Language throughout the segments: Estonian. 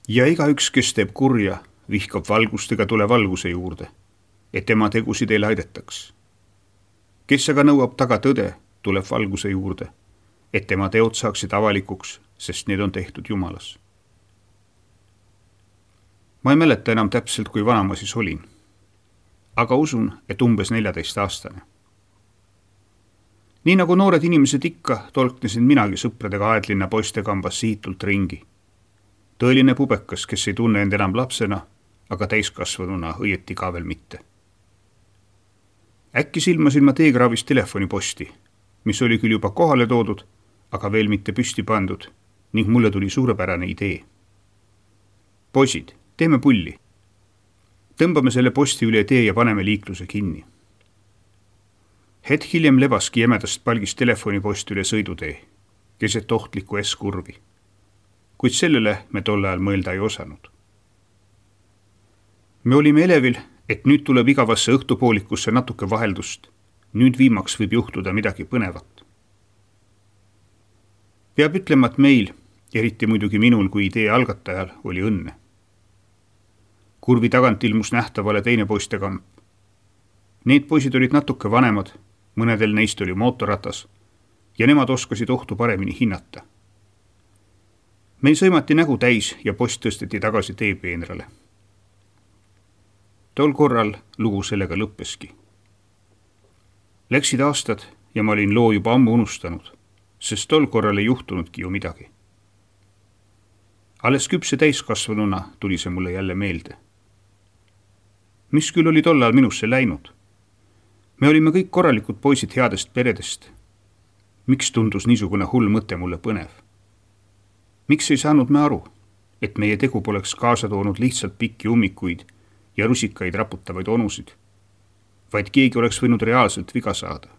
Ja igaüks, kes teeb kurja, vihkab valgustega tule valguse juurde, et tema tegusid ei laidetaks. Kes aga nõuab taga tõde, tuleb valguse juurde, et tema teod saaksid avalikuks, sest need on tehtud Jumalas. Ma ei mäleta enam täpselt, kui vana ma siis olin, aga usun, et umbes 14-aastane. Nii nagu noored inimesed ikka, tolknesin minagi sõpradega Aedlinna poistekambas siitult ringi. Tõeline pubekas, kes ei tunne end enam lapsena, aga täiskasvanuna õieti ka veel mitte. Äkki silmasin ma teegraavis telefoniposti, mis oli küll juba kohale toodud, aga veel mitte püsti pandud, ning mulle tuli suurepärane idee. Poisid, teeme pulli. Tõmbame selle posti üle tee ja paneme liikluse kinni. Hetk hiljem lebaski jämedast palgist telefonipost üle sõidutee, keset ohtlikku S-kurvi. Kuid sellele me tol ajal mõelda ei osanud. Me olime elevil, et nüüd tuleb igavasse õhtupoolikusse natuke vaheldust. Nüüd viimaks võib juhtuda midagi põnevat. Peab ütlema, et meil, eriti muidugi minul kui idee algatajal, oli õnne. Kurvi tagant ilmus nähtavale teine poistekamp. Need poisid olid natuke vanemad, mõnedel neist oli mootorratas ja nemad oskasid ohtu paremini hinnata. Meil sõimati nägu täis ja post tõsteti tagasi teepeenrale. Tol korral lugu sellega lõppeski. Läksid aastad ja ma olin loo juba ammu unustanud, sest tol korral ei juhtunudki ju midagi. Alles küpse täiskasvanuna tuli see mulle jälle meelde. Mis küll oli tollal minusse läinud? Me olime kõik korralikud poisid headest peredest. Miks tundus niisugune hull mõte mulle põnev? Miks ei saanud me aru, et meie tegu poleks kaasa toonud lihtsalt pikki ummikuid ja rusikaid raputavaid onusid, vaid keegi oleks võinud reaalselt viga saada?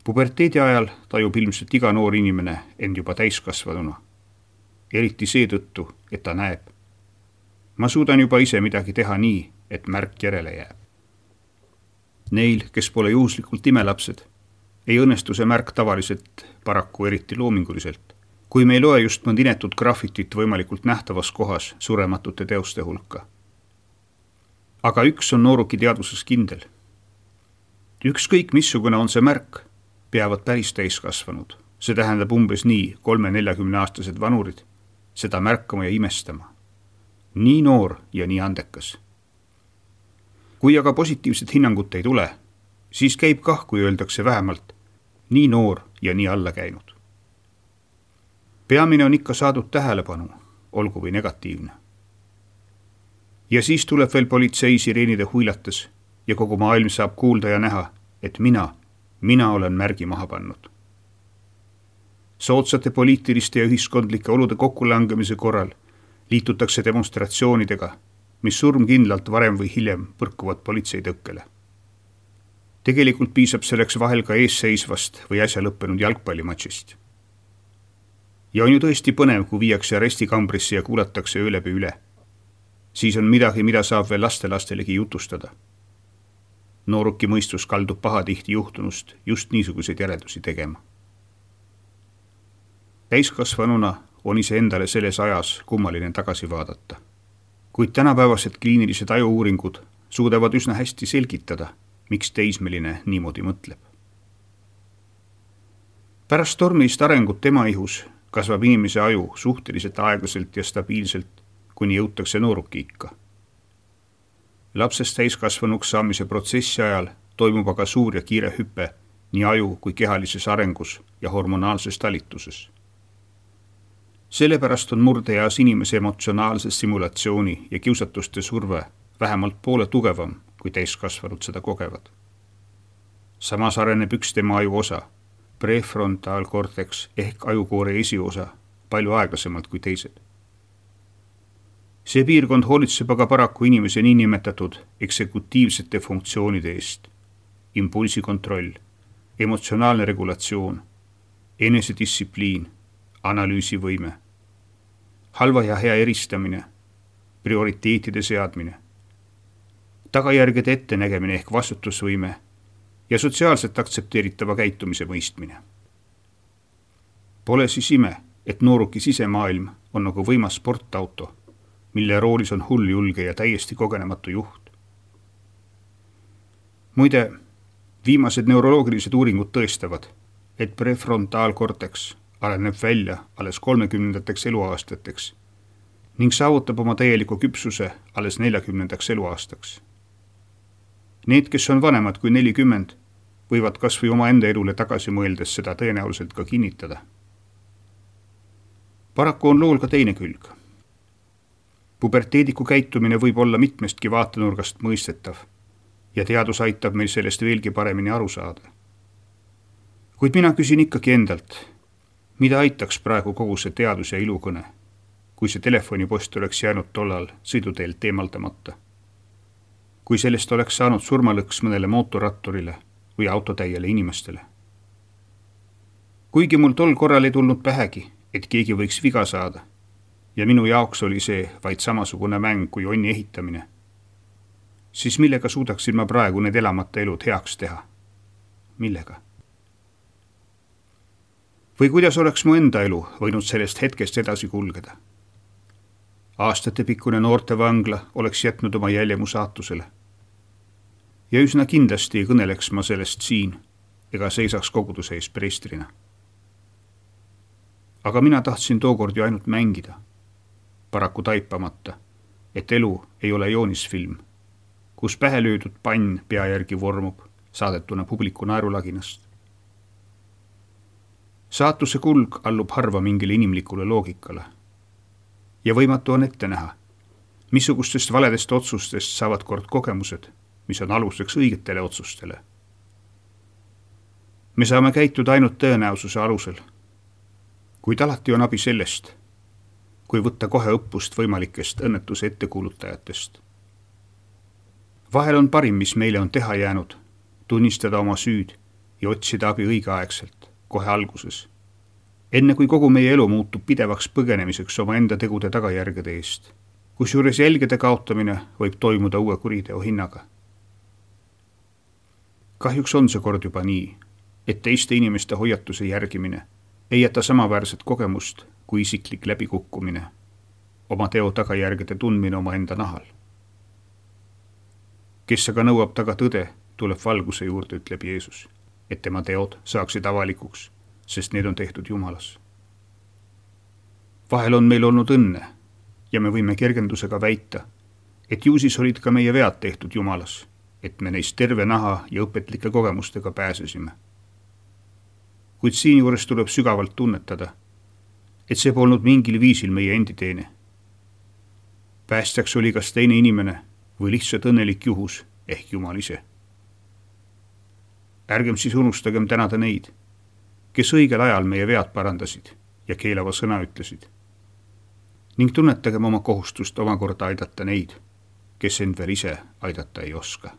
Puberteedi ajal tajub ilmselt iga noor inimene end juba täiskasvanuna, eriti seetõttu, et ta näeb. Ma suudan juba ise midagi teha nii, et märk järele jääb. Neil, kes pole juhuslikult imelapsed, ei õnnestu see märk tavaliselt paraku eriti loominguliselt, kui me ei loe just mõnd inetut graffitit võimalikult nähtavas kohas surematute teoste hulka. Aga üks on nooruki teadvuses kindel. Ükskõik missugune on see märk, peavad päris täiskasvanud, see tähendab umbes nii 3-40-aastased vanurid, seda märkama ja imestama. Nii noor ja nii andekas. Kui aga positiivset hinnangut ei tule, siis käib kah, kui öeldakse vähemalt, nii noor ja nii alla käinud. Peamine on ikka saadud tähelepanu, olgu või negatiivne. Ja siis tuleb veel politsei sireenide huilates ja kogu maailm saab kuulda ja näha, et mina olen märgi maha pannud. Soodsate poliitiliste ja ühiskondlike olude kokkulangemise korral liitutakse demonstratsioonidega, mis surmkindlalt varem või hiljem põrkuvad politsei tõkkele. Tegelikult piisab selleks vahel ka eesseisvast või äsja lõppenud jalgpallimatšist. Ja on ju tõesti põnev, kui viiakse arestikambrisse ja kuulatakse öö läbi üle. Siis on midagi, mida saab veel lastelastelegi jutustada. Nooruki mõistus kaldub pahatihti juhtunust just niisuguseid järeldusi tegema. Täiskasvanuna on ise endale selles ajas kummaline tagasi vaadata. Kuid tänapäevased kliinilised ajuuuringud suudavad üsna hästi selgitada, miks teismeline niimoodi mõtleb. Pärast tormilist arengut tema ihus kasvab inimese aju suhteliselt aeglaselt ja stabiilselt, kuni jõutakse nooruki ikka. Lapsest täiskasvanuks saamise protsessi ajal toimub aga suur ja kiire hüpe nii aju kui kehalises arengus ja hormonaalses talituses. Sellepärast on murdeeas inimese emotsionaalse simulatsiooni ja kiusatuste surve vähemalt poole tugevam, kui täiskasvanud seda kogevad. Samas areneb üks tema aju osa, prefrontaalkorteks ehk ajukoore esiosa, palju aeglasemalt kui teised. See piirkond hoolitseb aga paraku inimese niinimetatud eksekutiivsete funktsioonide eest, impulsikontroll, emotsionaalne regulatsioon, enesedistsipliin, analüüsivõime, halva ja hea eristamine, prioriteetide seadmine, tagajärgede ettenägemine ehk vastutusvõime ja sotsiaalselt aktsepteeritava käitumise mõistmine. Pole siis ime, et nooruki sisemaailm on nagu võimas sportauto, mille roolis on hulljulge ja täiesti kogenematu juht. Muide, viimased neuroloogilised uuringud tõestavad, et prefrontaalkorteks areneb välja alles 30. eluaastateks ning saavutab oma täieliku küpsuse alles 40. eluaastaks. Need, kes on vanemad kui 40, võivad kas või oma enda elule tagasi mõeldes seda tõenäoliselt ka kinnitada. Paraku on lool ka teine külg. Puberteediku käitumine võib olla mitmestki vaatenurgast mõistetav ja teadus aitab meil sellest veelgi paremini aru saada. Kuid mina küsin ikkagi endalt, mida aitaks praegu kogu see teadus- ja ilukõne, kui see telefonipost oleks jäänud tollal sõiduteelt eemaldamata? Kui sellest oleks saanud surmalõks mõnele mootorratturile või autotäiele inimestele? Kuigi mul tol korral ei tulnud pähegi, et keegi võiks viga saada ja minu jaoks oli see vaid samasugune mäng kui onni ehitamine, siis millega suudaksin ma praegu need elamata elud heaks teha? Millega? Või kuidas oleks mu enda elu võinud sellest hetkest edasi kulgeda? Aastatepikkune noortevangla oleks jätnud oma jälje mu saatusele. Ja üsna kindlasti ei kõneleks ma sellest siin ega seisaks koguduse ees preestrina. Aga mina tahtsin tookord ju ainult mängida, paraku taipamata, et elu ei ole joonisfilm, kus pähe löödud pann pea järgi vormub, saadetuna publiku naerulaginast. Saatuse kulg allub harva mingile inimlikule loogikale. Ja võimatu on ette näha, missugustest valedest otsustest saavad kord kogemused, mis on aluseks õigetele otsustele. Me saame käituda ainult tõenäosuse alusel, kuid alati on abi sellest, kui võtta kohe õppust võimalikest õnnetuse ettekuulutajatest. Vahel on parim, mis meile on teha jäänud, tunnistada oma süüd ja otsida abi õigeaegselt, kohe alguses, enne kui kogu meie elu muutub pidevaks põgenemiseks oma enda tegude tagajärgede eest, kusjuures jälgede kaotamine võib toimuda uue kuriteo hinnaga. Kahjuks on see kord juba nii, et teiste inimeste hoiatuse järgimine ei jäta samaväärset kogemust kui isiklik läbikukkumine, oma teo tagajärgede tundmine oma enda nahal. Kes aga nõuab taga tõde, tuleb valguse juurde, ütleb Jeesus, et tema teod saaksid avalikuks, sest need on tehtud Jumalas. Vahel on meil olnud õnne ja me võime kergendusega väita, et ju siis olid ka meie vead tehtud Jumalas, et me neist terve naha ja õpetlike kogemustega pääsesime. Kuid siinjuures tuleb sügavalt tunnetada, et see polnud mingil viisil meie endi teene. Päästjaks oli kas teine inimene või lihtsalt õnnelik juhus ehk Jumal ise. Ärgem siis unustagem tänada neid, kes õigel ajal meie vead parandasid ja keelava sõna ütlesid. Ning tunnetagem oma kohustust omakorda aidata neid, kes end veel ise aidata ei oska.